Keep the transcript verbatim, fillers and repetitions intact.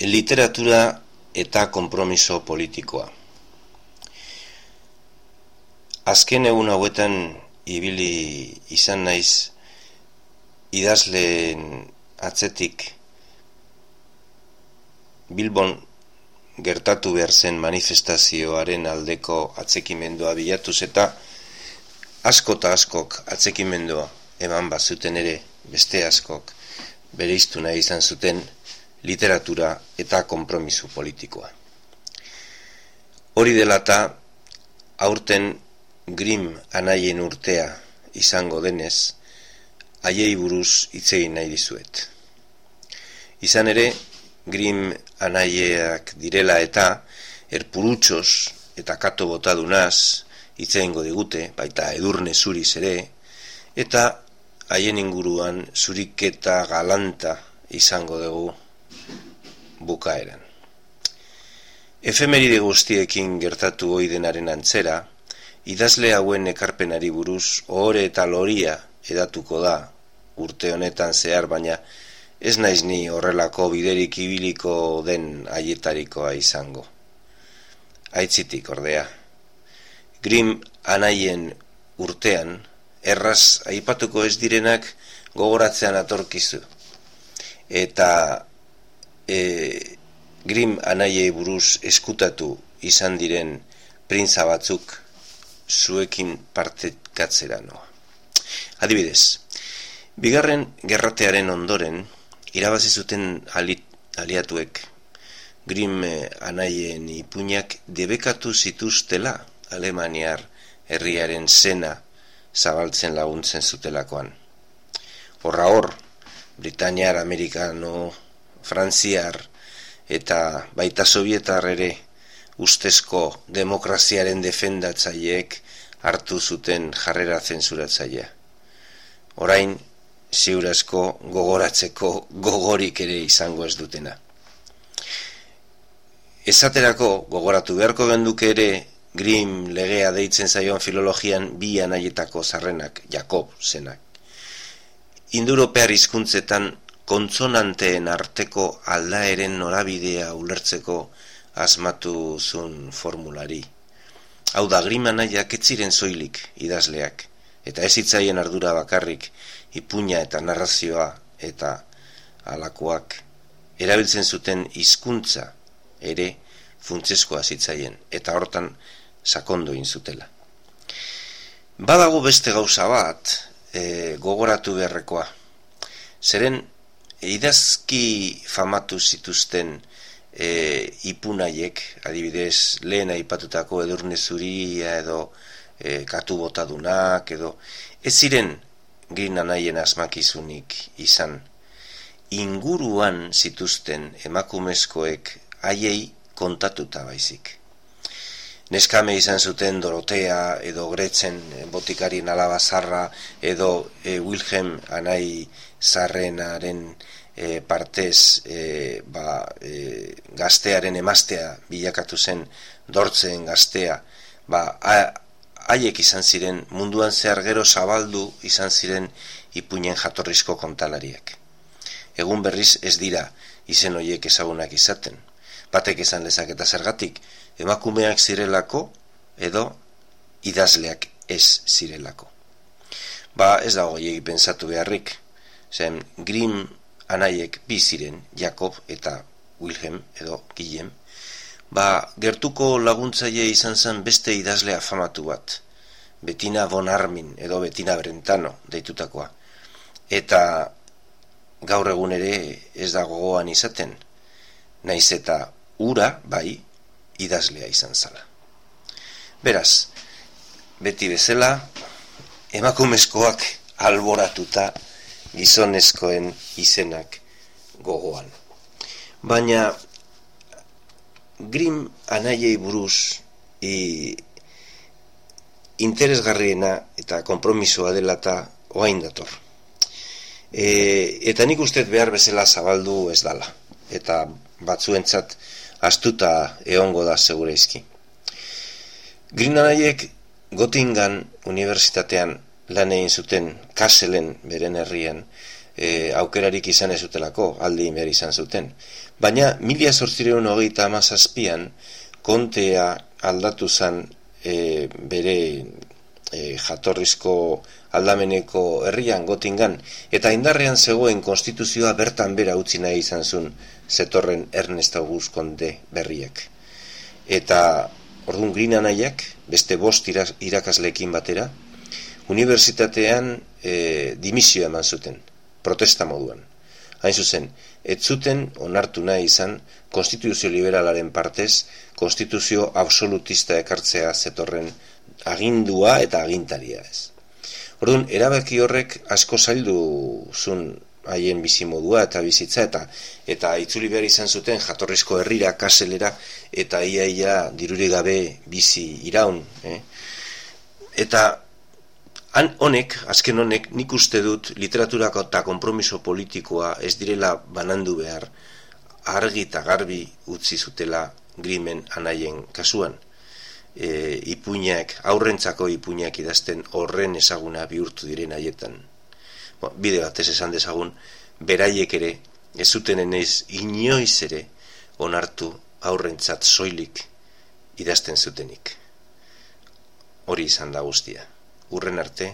Literatura eta konpromiso politikoa. Azken egun hauetan ibili izan naiz idazleen atzetik Bilbon gertatu behar zen manifestazioaren aldeko atzekimendua bilatuz eta asko eta askok atzekimendua eman bazuten ere beste askok bereiztu nahi izan zuten literatura eta konpromiso politikoa. Hori dela eta aurten Grimm anaien urtea izango denez, haiei buruz hitz egin nahi dizuet. Izan ere, Grimm anaieak direla eta erpurutxos eta kato botadunaz hitz egingo digute, baita edurne zuriz ere, eta haien inguruan zuriketa galanta izango dugu bukaeran. Efemeride guztiekin gertatu ohi denaren antzera, idazle hauen ekarpenari buruz ohore eta loria edatuko da urte honetan zehar, baina ez naiz ni horrelako biderik ibiliko den haietarikoa izango. Aitzitik ordea, Grimm anaien urtean erraz aipatuko ez direnak gogoratzean atorkizu. Eta e, Grimm anaiei buruz eskutatu izan diren printza batzuk zuekin partekatzera noa. Adibidez, bigarren gerratearen ondoren irabazi zuten ali, aliatuek Grimm anaien ipuinak debekatu zituztela Alemaniar herriaren zena zabaltzen laguntzen zutelakoan. Horra hor, Britaniar, Amerikano, Frantziar eta baita Sovietar ere ustezko demokraziaren defendatzaileek hartu zuten jarrera zensuratzailea. Orain, ziurazko gogoratzeko gogorik ere izango ez dutena. Esaterako gogoratu beharko genduke ere Grimm legea deitzen zaion filologian bi anaietako zarrenak, Jakob zenak. Indoeuropear hizkuntzetan kontsonanteen arteko aldaeren norabidea ulertzeko asmatu zuen formulari. Hau da, Grimm anaiak ez ziren soilik idazleak, eta ez hitzaien ardura bakarrik ipuina eta narrazioa eta halakoak erabiltzen zuten hizkuntza ere funtsezkoa zitzaien, eta hortan sakondu egin zutela. Badago beste gauza bat e, gogoratu beharrekoa. Zeren idazki famatu zituzten e, ipunaiek, adibidez lehen aipatutako edurne zuria edo e, katu botadunak edo, ez ziren Grimm anaien asmakizunik izan. Inguruan zituzten emakumezkoek haiei kontatuta baizik. Neskame izan zuten Dorotea edo Gretzen botikarien alaba zarra edo e, Wilhelm anai zarrenaren e, partez e, ba, e, gaztearen emaztea bilakatu zen Dortzen gaztea, ba, haiek izan ziren munduan zehar gero zabaldu izan ziren ipuinen jatorrizko kontalariak. Egun berriz ez dira izen horiek ezagunak izaten. Batek esan lezaketa zergatik, emakumeak zirelako edo idazleak ez zirelako. Ba ez dago gehiegi pentsatu beharrik, zen Grimm anaiek bi ziren, Jakob eta Wilhelm edo Guillem, ba gertuko laguntzaile izan zen beste idazle afamatu bat, Bettina von Arnim edo Bettina Brentano deitutakoa, eta gaur egun ere ez da gogoan izaten, naiz eta ura, bai, idazlea izan zala. Beraz, beti bezala, emakumezkoak alboratuta gizonezkoen izenak gogoan. Baina, Grimm anaiei buruz i, interesgarriena eta konpromisoa dela eta oain dator. E, eta nik ustez behar bezala zabaldu ez dala, eta batzuentzat astuta egongo da segureizki. Grimm anaiek Göttingen unibertsitatean lan egin zuten, Kasselen beren herrian, e, aukerarik izan ez zutelako, aldi behar izan zuten. Baina mila zortziehun hogeita hamazazpian kontea aldatu zen e, bere e, jatorrizko aldameneko herrian Gotingan, eta indarrean zegoen konstituzioa bertan bera utzi nahi izan zuen zetorren Ernest August Konde berriak. Eta orduan Green anaiak, beste bost irakasleekin batera, unibertsitatean e, dimisioa eman zuten, protesta moduan. Hain zuzen, ez zuten onartu nahi izan konstituzio liberalaren partez, konstituzio absolutista ekartzea zetorren agindua eta agintaria ez. Orduan, erabaki horrek asko zaildu zuen haien bizimodua eta bizitza, eta eta itzuli behar izan zuten jatorrizko herrira, kaselera, eta ia ia dirurik gabe bizi iraun. Eh? Eta han honek, azken honek, nik uste dut literaturako eta konpromiso politikoa ez direla banandu behar, argi eta garbi utzi zutela Grimmen anaien kasuan. E, ipuinak, aurrentzako ipuinak idazten horren ezaguna bihurtu diren haietan. Bo, bide batez esan dezagun, beraiek ere, ez zuten enez inoiz ere onartu aurrentzat soilik idazten zutenik. Hori izan da guztia. Urren arte,